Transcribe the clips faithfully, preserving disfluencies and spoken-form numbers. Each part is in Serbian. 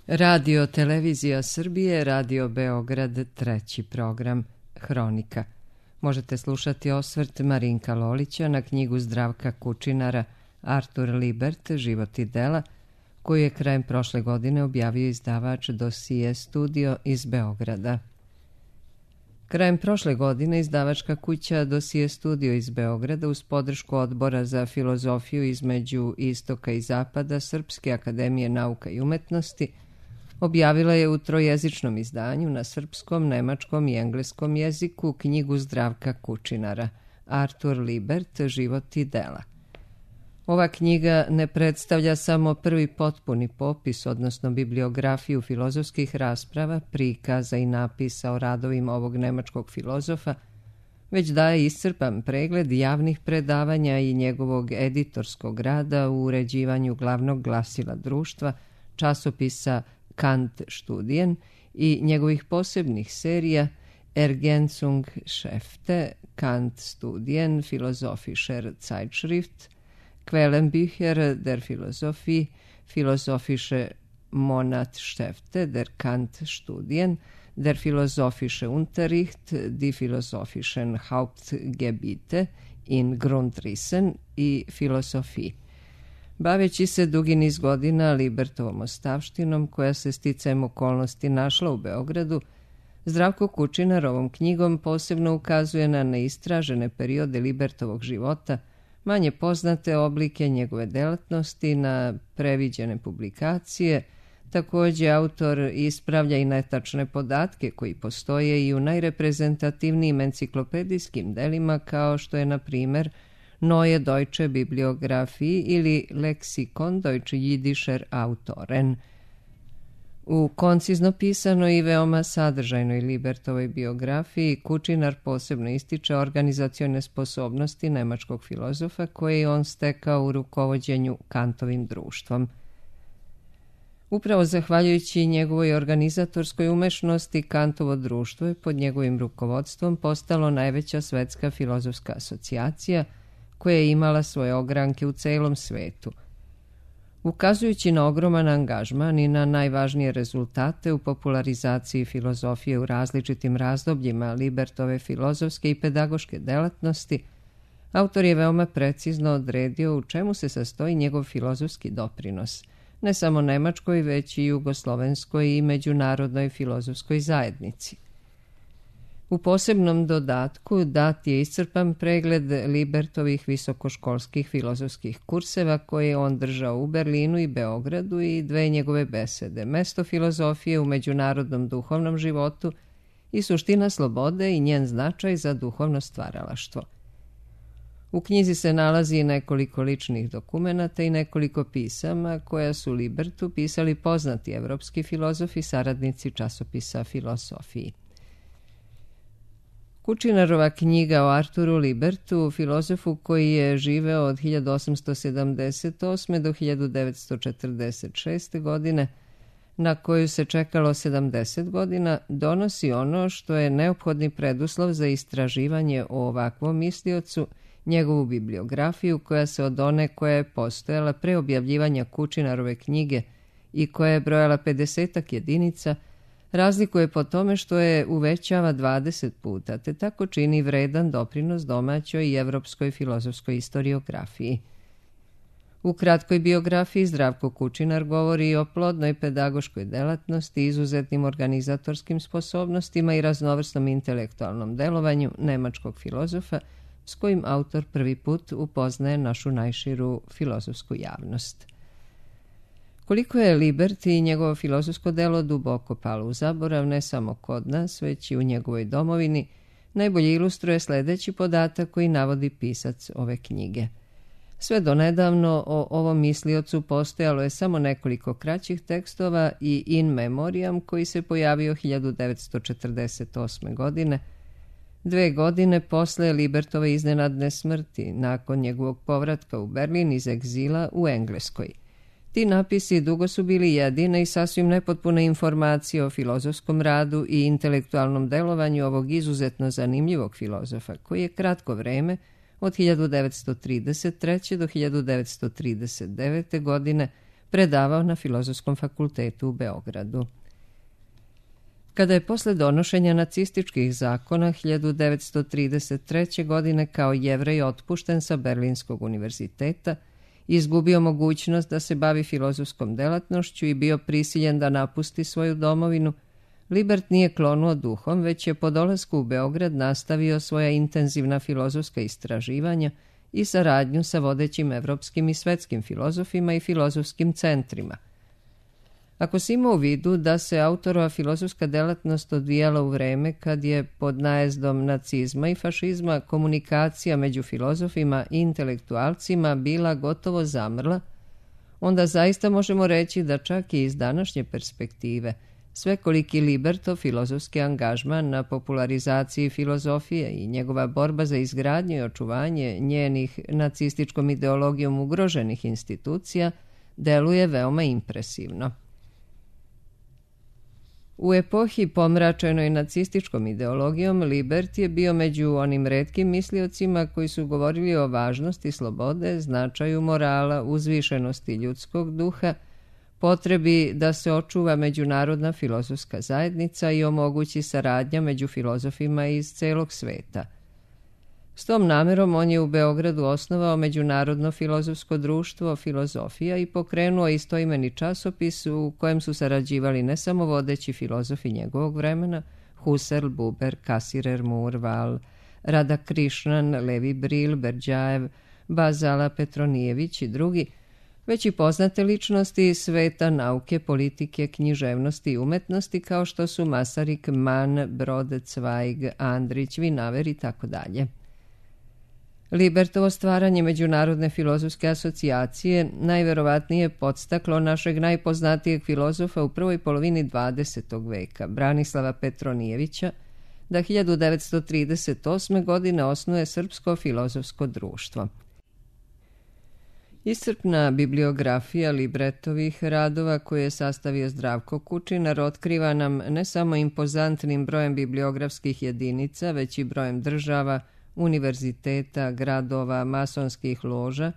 Radio Televizija Srbije, Radio Beograd, treći program, Hronika. Možete slušati osvrt Marinka Lolića na knjigu Zdravka Kučinara Artur Libert, Život i dela, koju je krajem prošle godine objavio izdavač Dosije Studio iz Beograda. Krajem prošle godine izdavačka kuća Dosije Studio iz Beograda uz podršku Odbora za filozofiju između Istoka i Zapada Srpske akademije nauka i umetnosti objavila je u trojezičnom izdanju na srpskom, nemačkom i engleskom jeziku knjigu Zdravka Kučinara Artur Libert, Život i dela. Ova knjiga ne predstavlja samo prvi potpuni popis, odnosno bibliografiju filozofskih rasprava, prikaza i napisa o radovima ovog nemačkog filozofa, već daje iscrpan pregled javnih predavanja i njegovog editorskog rada u uređivanju glavnog glasila društva, časopisa Kant Studien i njegovih posebnih serija Ergänzung Schäfte, Kant Studien, Philosophischer Zeitschrift, Quellenbücher der Philosophie, Philosophische Monatshefte der Kant Studien, der Philosophische Unterricht, die Philosophischen Hauptgebiete in Grundrissen i Philosophie. Baveći se dugi niz godina Libertovom ostavštinom, koja se sticajem okolnosti našla u Beogradu, Zdravko Kučinar ovom knjigom posebno ukazuje na neistražene periode Libertovog života, manje poznate oblike njegove delatnosti, na previđene publikacije. Također autor ispravlja i netačne podatke koji postoje i u najreprezentativnijim enciklopedijskim delima, kao što je, na primjer, Neue Deutsche Bibliographie ili Lexikon Deutsche Jiddischer Autoren. U koncizno pisanoj i veoma sadržajnoj Libertovoj biografiji Kučinar posebno ističe organizacione sposobnosti nemačkog filozofa koje je on stekao u rukovođenju Kantovim društvom. Upravo zahvaljujući njegovoj organizatorskoj umešnosti, Kantovo društvo je pod njegovim rukovodstvom postalo najveća svetska filozofska asocijacija koja je imala svoje ogranke u celom svetu. Ukazujući na ogroman angažman i na najvažnije rezultate u popularizaciji filozofije u različitim razdobljima Libertove filozofske i pedagoške delatnosti, autor je veoma precizno odredio u čemu se sastoji njegov filozofski doprinos, ne samo nemačkoj, već i jugoslovenskoj i međunarodnoj filozofskoj zajednici. U posebnom dodatku dat je iscrpan pregled Libertovih visokoškolskih filozofskih kurseva koje je on držao u Berlinu i Beogradu i dve njegove besede, Mesto filozofije u međunarodnom duhovnom životu i Suština slobode i njen značaj za duhovno stvaralaštvo. U knjizi se nalazi nekoliko ličnih dokumenata i nekoliko pisama koja su Libertu pisali poznati evropski filozofi, saradnici časopisa Filosofiji. Kučinarova knjiga o Arturu Libertu, filozofu koji je živeo od hiljadu osamsto sedamdeset osme do hiljadu devetsto četrdeset šeste. godine, na koju se čekalo sedamdeset godina, donosi ono što je neophodni preduslov za istraživanje o ovakvom misliocu, njegovu bibliografiju koja se od one koja je postojala pre objavljivanja Kučinarove knjige i koja je brojala pedesetak jedinica, razlikuje po tome što je uvećava dvadeset puta, te tako čini vredan doprinos domaćoj i evropskoj filozofskoj istoriografiji. U kratkoj biografiji Zdravko Kučinar govori o plodnoj pedagoškoj delatnosti, izuzetnim organizatorskim sposobnostima i raznovrsnom intelektualnom delovanju nemačkog filozofa, s kojim autor prvi put upoznaje našu najširu filozofsku javnost. Koliko je Libert i njegovo filozofsko delo duboko palo u zaborav, ne samo kod nas, već i u njegovoj domovini, najbolje ilustruje sljedeći podatak koji navodi pisac ove knjige. Sve do nedavno o ovom misliocu postojalo je samo nekoliko kraćih tekstova i in memoriam koji se pojavio hiljadu devetsto četrdeset osme. godine, dve godine posle Libertove iznenadne smrti, nakon njegovog povratka u Berlin iz egzila u Engleskoj. Ti napisi dugo su bili jedine i sasvim nepotpune informacije o filozofskom radu i intelektualnom delovanju ovog izuzetno zanimljivog filozofa, koji je kratko vreme, od hiljadu devetsto trideset treće. do hiljadu devetsto trideset devete. godine, predavao na Filozofskom fakultetu u Beogradu. Kada je posle donošenja nacističkih zakona hiljadu devetsto trideset treće. godine kao Jevrej otpušten sa Berlinskog univerziteta, izgubio mogućnost da se bavi filozofskom delatnošću i bio prisiljen da napusti svoju domovinu, Libert nije klonuo duhom, već je po dolasku u Beograd nastavio svoja intenzivna filozofska istraživanja i saradnju sa vodećim evropskim i svetskim filozofima i filozofskim centrima. Ako se ima u vidu da se autorova filozofska delatnost odvijala u vreme kad je pod najezdom nacizma i fašizma komunikacija među filozofima i intelektualcima bila gotovo zamrla, onda zaista možemo reći da čak i iz današnje perspektive svekoliki Libertov filozofski angažman na popularizaciji filozofije i njegova borba za izgradnju i očuvanje njenih nacističkom ideologijom ugroženih institucija deluje veoma impresivno. U epohi pomračenoj nacističkom ideologijom, Libert je bio među onim retkim misliocima koji su govorili o važnosti slobode, značaju morala, uzvišenosti ljudskog duha, potrebi da se očuva međunarodna filozofska zajednica i omogući saradnja među filozofima iz celog sveta. S tom namerom on je u Beogradu osnovao Međunarodno filozofsko društvo Filozofija i pokrenuo istoimeni časopis u kojem su sarađivali ne samo vodeći filozofi njegovog vremena, Husserl, Buber, Kasirer, Moore, Val, Radakrišnan, Levi Bril, Berdjajev, Bazala Petronijević i drugi, već i poznate ličnosti iz sveta nauke, politike, književnosti i umetnosti kao što su Masarik, Mann, Brode, Zweig, Andrić, Vinaver i tako dalje. Libertovo stvaranje Međunarodne filozofske asocijacije najverovatnije podstaklo našeg najpoznatijeg filozofa u prvoj polovini dvadesetog veka, Branislava Petronijevića, da hiljadu devetsto trideset osme. godine osnuje Srpsko filozofsko društvo. Iscrpna bibliografija Libretovih radova koje je sastavio Zdravko Kučinar otkriva nam ne samo impozantnim brojem bibliografskih jedinica, već i brojem država, univerziteta, gradova, masonskih loža,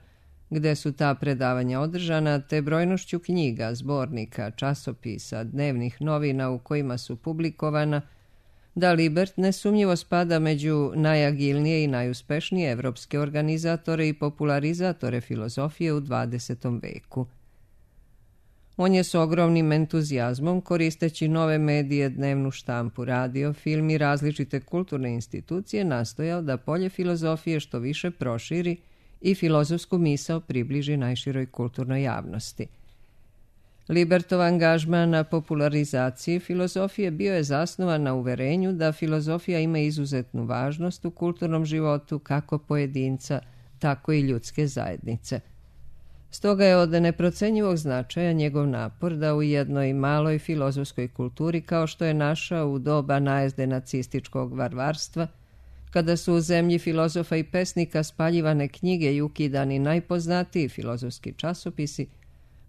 gde su ta predavanja održana, te brojnošću knjiga, zbornika, časopisa, dnevnih novina u kojima su publikovana, da Libert nesumnjivo spada među najagilnije i najuspešnije evropske organizatore i popularizatore filozofije u dvadesetom veku. On je s ogromnim entuzijazmom, koristeći nove medije, dnevnu štampu, radio, film i različite kulturne institucije, nastojao da polje filozofije što više proširi i filozofsku misao približi najširoj kulturnoj javnosti. Libertov angažman na popularizaciji filozofije bio je zasnovan na uverenju da filozofija ima izuzetnu važnost u kulturnom životu kako pojedinca, tako i ljudske zajednice. Stoga je od neprocenjivog značaja njegov napor da u jednoj maloj filozofskoj kulturi kao što je naša u doba najezde nacističkog varvarstva, kada su u zemlji filozofa i pesnika spaljivane knjige i ukidani najpoznatiji filozofski časopisi,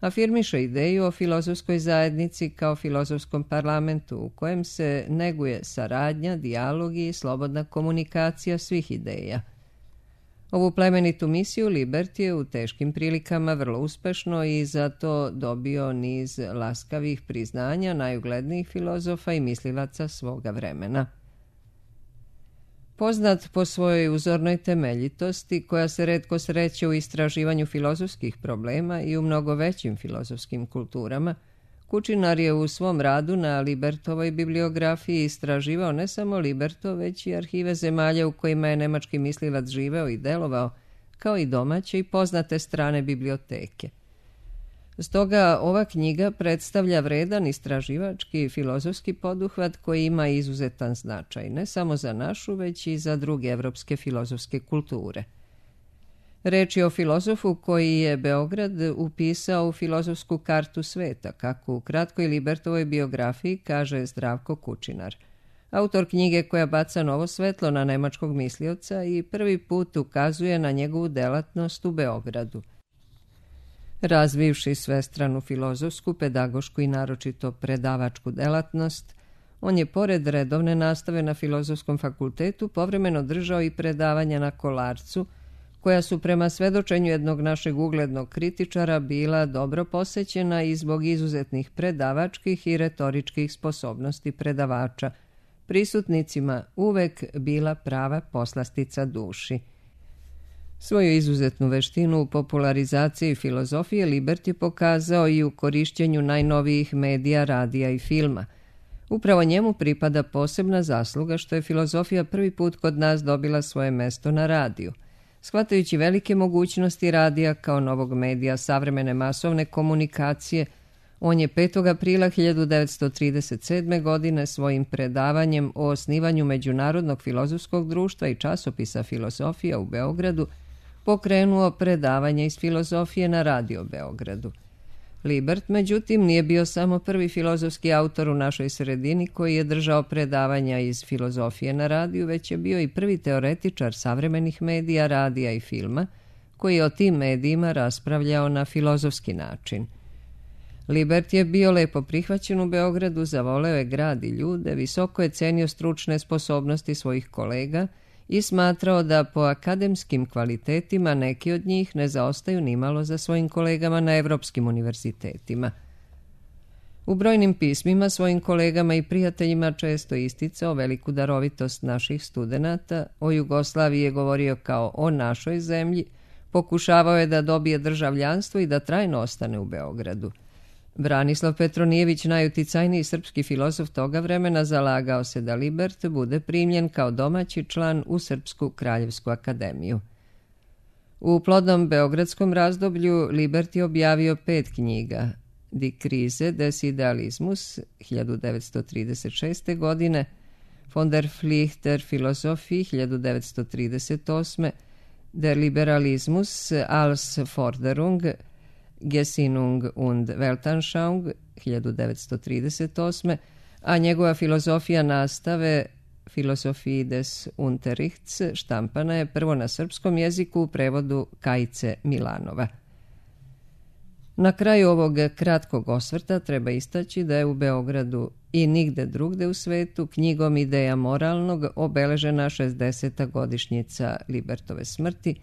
afirmiše ideju o filozofskoj zajednici kao filozofskom parlamentu u kojem se neguje saradnja, dijalog i slobodna komunikacija svih ideja. Ovu plemenitu misiju Libert je u teškim prilikama vrlo uspešno i zato dobio niz laskavih priznanja najuglednijih filozofa i mislilaca svoga vremena. Poznat po svojoj uzornoj temeljitosti, koja se retko sreće u istraživanju filozofskih problema i u mnogo većim filozofskim kulturama, Kučinar je u svom radu na Libertovoj bibliografiji istraživao ne samo Libertov, već i arhive zemalja u kojima je nemački mislilac živeo i delovao, kao i domaće i poznate strane biblioteke. Stoga ova knjiga predstavlja vredan istraživački i filozofski poduhvat koji ima izuzetan značaj, ne samo za našu, već i za druge evropske filozofske kulture. Reč je o filozofu koji je Beograd upisao u filozofsku kartu sveta, kako u kratkoj Libertovoj biografiji kaže Zdravko Kučinar, autor knjige koja baca novo svetlo na nemačkog mislioca i prvi put ukazuje na njegovu delatnost u Beogradu. Razvivši svestranu filozofsku, pedagošku i naročito predavačku delatnost, on je pored redovne nastave na Filozofskom fakultetu povremeno držao i predavanja na Kolarcu, koja su prema svedočenju jednog našeg uglednog kritičara bila dobro posećena i zbog izuzetnih predavačkih i retoričkih sposobnosti predavača, prisutnicima uvek bila prava poslastica duši. Svoju izuzetnu veštinu u popularizaciji filozofije Libert je pokazao i u korišćenju najnovijih medija, radija i filma. Upravo njemu pripada posebna zasluga što je filozofija prvi put kod nas dobila svoje mesto na radiju. Shvatajući velike mogućnosti radija kao novog medija savremene masovne komunikacije, on je petog aprila hiljadu devetsto trideset sedme. godine svojim predavanjem o osnivanju Međunarodnog filozofskog društva i časopisa Filosofija u Beogradu pokrenuo predavanje iz filozofije na Radio Beogradu. Libert, međutim, nije bio samo prvi filozofski autor u našoj sredini koji je držao predavanja iz filozofije na radiju, već je bio i prvi teoretičar savremenih medija, radija i filma, koji je o tim medijima raspravljao na filozofski način. Libert je bio lepo prihvaćen u Beogradu, zavoleo je grad i ljude, visoko je cenio stručne sposobnosti svojih kolega i smatrao da po akademskim kvalitetima neki od njih ne zaostaju nimalo za svojim kolegama na evropskim univerzitetima. U brojnim pismima svojim kolegama i prijateljima često isticao veliku darovitost naših studenata, o Jugoslaviji je govorio kao o našoj zemlji, pokušavao je da dobije državljanstvo i da trajno ostane u Beogradu. Branislav Petronijević, najuticajniji srpski filozof toga vremena, zalagao se da Libert bude primljen kao domaći član u Srpsku kraljevsku akademiju. U plodnom beogradskom razdoblju Libert je objavio pet knjiga: Die Krise des Idealismus hiljadu devetsto trideset šeste. godine, Von der Pflicht der Philosophie hiljadu devetsto trideset osme. Der Liberalismus als Forderung, Gesinnung und Weltanschauung hiljadu devetsto trideset osme. a njegova filozofija nastave Philosophie des Unterrichts štampana je prvo na srpskom jeziku u prevodu Kajice Milanova. Na kraju ovog kratkog osvrta treba istaći da je u Beogradu i nigde drugde u svetu knjigom Ideja moralnog obeležena šezdeseta godišnjica Libertove smrti,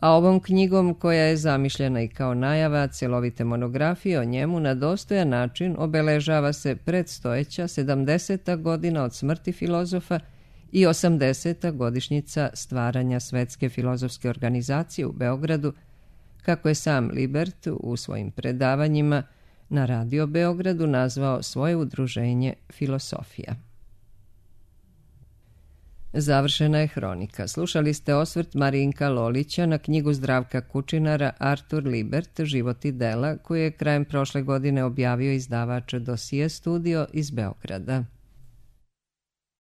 a ovom knjigom, koja je zamišljena i kao najava celovite monografije o njemu, na dostojan način obeležava se predstojeća sedamdeseta godina od smrti filozofa i osamdeseta godišnjica stvaranja Svetske filozofske organizacije u Beogradu, kako je sam Libert u svojim predavanjima na Radio Beogradu nazvao svoje udruženje Filosofija. Završena je hronika. Slušali ste osvrt Marinka Lolića na knjigu Zdravka Kučinara Artur Libert, Život i dela, koju je krajem prošle godine objavio izdavač Dosije studio iz Beograda.